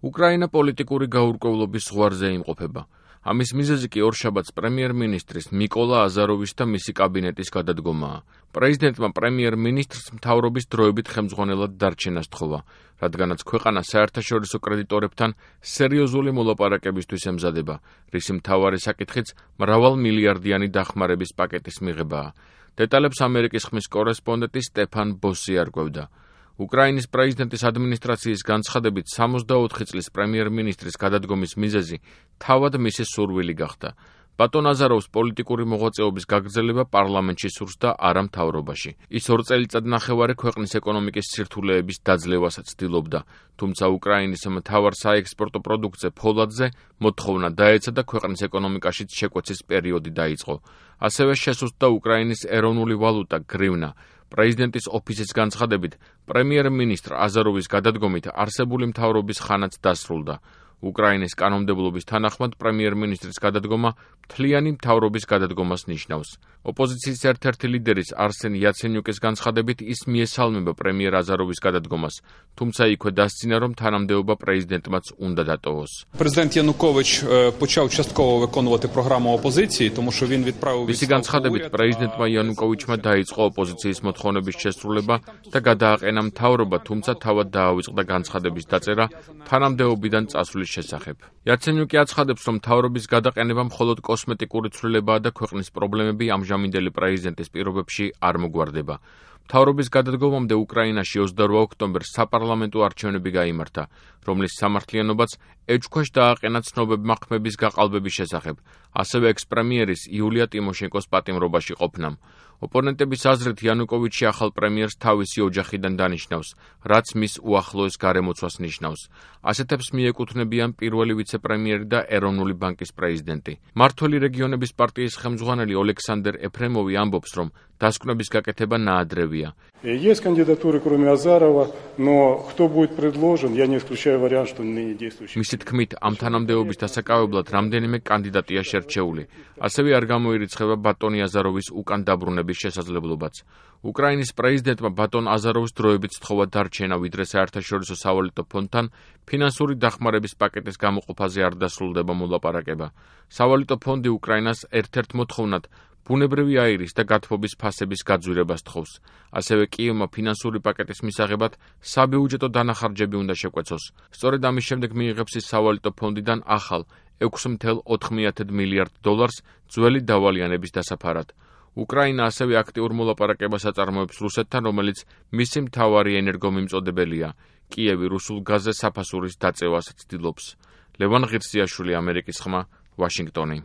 უკრაინა პოლიტიკური გაურკვევლობის ზღვარზე იმყოფება. ამის მიზეზი კი ორშაბათს პრემიერ-მინისტრის მიკოლა აზაროვის და მისი კაბინეტის გადადგომაა. პრეზიდენტმა პრემიერ-მინისტრს მთავრობის დროებით ხელმძღვანელად დარჩენას თხოვა, რადგანაც ქვეყანა საერთაშორისო კრედიტორებთან სერიოზული მოლაპარაკებისთვის ემზადება, რისი მთავარი საკითხიც მრავალმილიარდიანი დახმარების პაკეტის მიღებაა. დეტალებს ამერიკის ხმის კორესპონდენტი სტეფან ბოსი არკვევდა. უკრაინის პრეზიდენტის ადმინისტრაციის განცხადებით 64 წლის პრემიერ-მინისტრის გადადგომის მიზეზი თავად მისი სურვილი გახდა. ბატონ აზაროვს პოლიტიკური მოღვაწეობის გაგრძელება პარლამენტში სურს და არა მთავრობაში. ის 2 წელიწადნახევარი ქვეყნის ეკონომიკის სირთულეების დაძლევას ცდილობდა, თუმცა უკრაინის მთავარ საექსპორტო პროდუქტზე ფოლადზე მოთხოვნა დაეცა და ქვეყნის ეკონომიკაშიც შეკვეცის პერიოდი დაიწყო. ასევე შესუსტდა უკრაინის ეროვნული ვალუტა გრივნა. პრეზიდენტის ოფისის განცხადებით, პრემიერ-მინისტრ აზაროვის გადადგომით არსებული მთავრობის ხანაც დასრულდა. უკრაინის კანონმდებლობის თანახმად პრემიერ-მინისტრის გადადგომა მთლიანი მთავრობის გადადგომას ნიშნავს. ოპოზიციის ერთ-ერთი ლიდერის არსენ იაცენიუკის განცხადებით ის მიესალმება პრემიერ აზაროვის გადადგომას, თუმცა იქვე დასძინა, რომ თანამდებობა პრეზიდენტმაც უნდა დატოვოს. Президент Янукович почав частково виконувати програму опозиції, тому що він відправив მისი განცხადებით, პრეზიდენტმა იანუკოვიჩმა დაიწყო ოპოზიციის მოთხოვნების შესრულება და გადააყენა მთავრობა, თუმცა თავად დაავიწყდა განცხადების დაწერა თანამდებობიდან წასვლის შესახებ. იაცენიუკი აცხადებს, რომ მთავრობის გადაყენება მხოლოდ კოსმეტიკური ცვლილებაა და ქვეყნის პრობლემები ამჟამინდელი პრეზიდენტის პირობებში არ მოგვარდება. მთავრობის გადადგომამდე უკრაინაში 28 ოქტომბერს საპარლამენტო არჩევნები გაიმართა, რომლის სამართლიანობაც ეჭვქვეშ დააყენა ცნობებმა ხმების გაყალბების შესახებ, ასევე ექს-პრემიერის იულია ტიმოშენკოს პატიმრობაში ყოფნამ. ოპონენტების აზრით იანუკოვიჩი ახალ პრემიერს თავისი ოჯახიდან დანიშნავს, რაც მის უახლოეს გარემოცვას ნიშნავს. ასეთებს მიეკუთვნებიან პირველი ვიცე-პრემიერი და ეროვნული ბანკის პრეზიდენტი. მმართველი რეგიონების პარტიის ხელმძღვანელი ოლექსანდრ ეფრემოვი ამბობს, რომ დასკვნების გაკეთება ნაადრევია. Есть кандидатуры, кроме Азарова, но кто будет предложен, я не исключаю вариант, что не действующий. მისი თქმით, ამ თანამდებობის დასაკავებლად რამდენიმე კანდიდატია შერჩეული. ასევე არ გამოირიცხება ბატონი აზაროვის უკან დაბრუნების შესაძლებლობაც. უკრაინის პრეზიდენტმა ბატონ აზაროვს დროებით სთხოვა დარჩენა, ვიდრე საერთაშორისო სავალუტო ფონდთან ფინანსური დახმარების პაკეტის გამოყოფაზე არ დასრულდება მოლაპარაკება. სავალუტო ფონდი უკრაინას ერთ-ერთ მოთხოვნად ბუნებრივი აირის და გათბობის ფასების გაძვირებას თხოვს. ასევე კიევმა ფინანსური პაკეტის მისაღებად საბიუჯეტო დანახარჯები უნდა შეკვეცოს. სწორედ ამის შემდეგ მიიღებს ის სავალუტო ფონდიდან ახალ 6,4 მილიარდ დოლარს ძველი დავალიანების დასაფარად. უკრაინა ასევე აქტიურ მოლაპარაკებას აწარმოებს რუსეთთან, რომელიც მისი მთავარი ენერგომიმწოდებელია. კიევი რუსულ გაზზე საფასურის დაწევას ცდილობს. ლევან ღირსიაშვილი, ამერიკის ხმა, ვაშინგტონი.